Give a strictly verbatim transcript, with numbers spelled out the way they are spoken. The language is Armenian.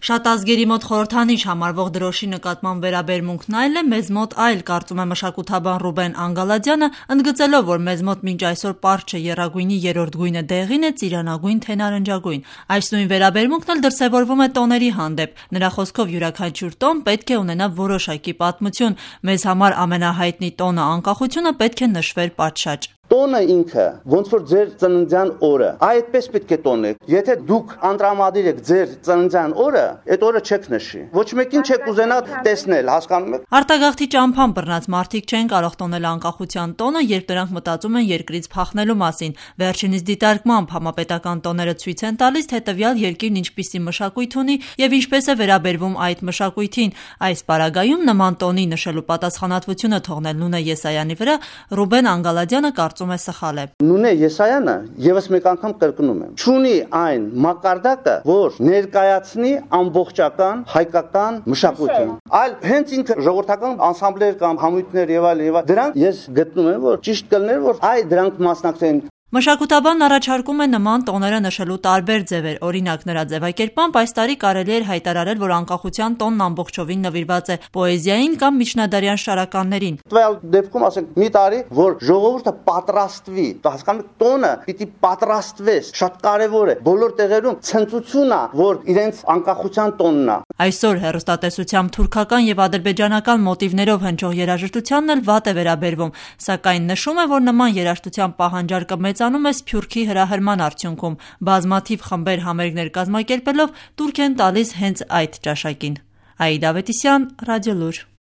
Շատ ազգերի մոտ խորհրդանիշ համարվող դրոշի նկատմամբ վերաբերմունքն այլ է, մեզ մոտ այլ, կարծում է մշակութաբան Ռուբեն Անգալադյանը, ընդգծելով, որ մեզ մոտ մինչ այսօր պարզ չէ եռագույնի երրորդ գույնը դեղին է, ծիրանագույն թե նարնջագույն։ Այս նույն վերաբերմունքն էլ դրսևորվում է տոների հանդեպ։ Նրա խոսքով յուրաքանչյուր տոն պետք է ունենա որոշակի պատմություն։ Մեզ համար ամենահայտնի տոնը անկախությունը պետք է նշվեր պատշաճ։ Տոնը ինքը ոնց որ ձեր ծննդյան օրը, այդպես պետք է տոնեք։ Եթե դուք անդրամադիր եք ձեր ծննդյան օրը, այդ օրը չեք նշի։ Ոչ մեկին չեք ուզենա տեսնել, հասկանում եք։ Արտագաղթի ճամփան բռնած մարդիկ չեն կարող տոնել անկախության տոնը, երբ նրանք մտածում են երկրից փախնելու մասին։ Վերջինիս դիտարկմամբ համապետական տոները ցույց են տալիս, թե տվյալ երկիրն ինչպիսի մշակույթ ունի եւ ինչպես է վերաբերվում այդ մշակույթին։ Այս պարագայում նման տոնի նշելու պատասխանատվությունը թողնել Նունե Եսայանի վրա Ռուբեն Անգալադյանը կարծում է սխալ է։ Նունե Եսայանը եւս մեկ անգամ կրկնում եմ, չունի այն մակարդակը, որ ներկայացնի ամբողջական հայկական մշակույթը, այլ հենց ինքը ժողովրդական անսամբլեր կամ համույթներ եւ այլ եւ այլ դրանք ես գտնում եմ, որ ճիշտ կլներ, որ այ դրանք մասնակցեն։ Մշակութաբանն առաջարկում է նման տոները նշելու տարբեր ձևեր, օրինակ նրա ձևակերպամբ այս տարի կարելի էր հայտարարել, որ անկախության տոնն ամբողջովին նվիրված է պոեզիային կամ միջնադարյան շարականներին։ Տվյալ դեպքում ասենք մի տարի, որ ժողովուրդը պատրաստվի, հասկանում եք, տոնը պիտի պատրաստվես, շատ կարևոր է։ Բոլոր տեղերում ցնծություն է, որ իրենց անկախության տոնն է։ Այսօր հեռուստատեսությամբ թուրքական եւ ադրբեջանական մոտիվներով հնչող երաժշտությանն էլ վատ է վերաբերվում, սակայն նշում է, որ նման երաժշտության պահանջարկը մեծանում է Սփյուռքի հրահրման արդյունքում։ Բազմաթիվ խմբեր համերգներ կազմակերպելով տուրք են տալիս հենց այդ ճաշակին։ Աիդա Ավետիսյան, Ռադիոլուր։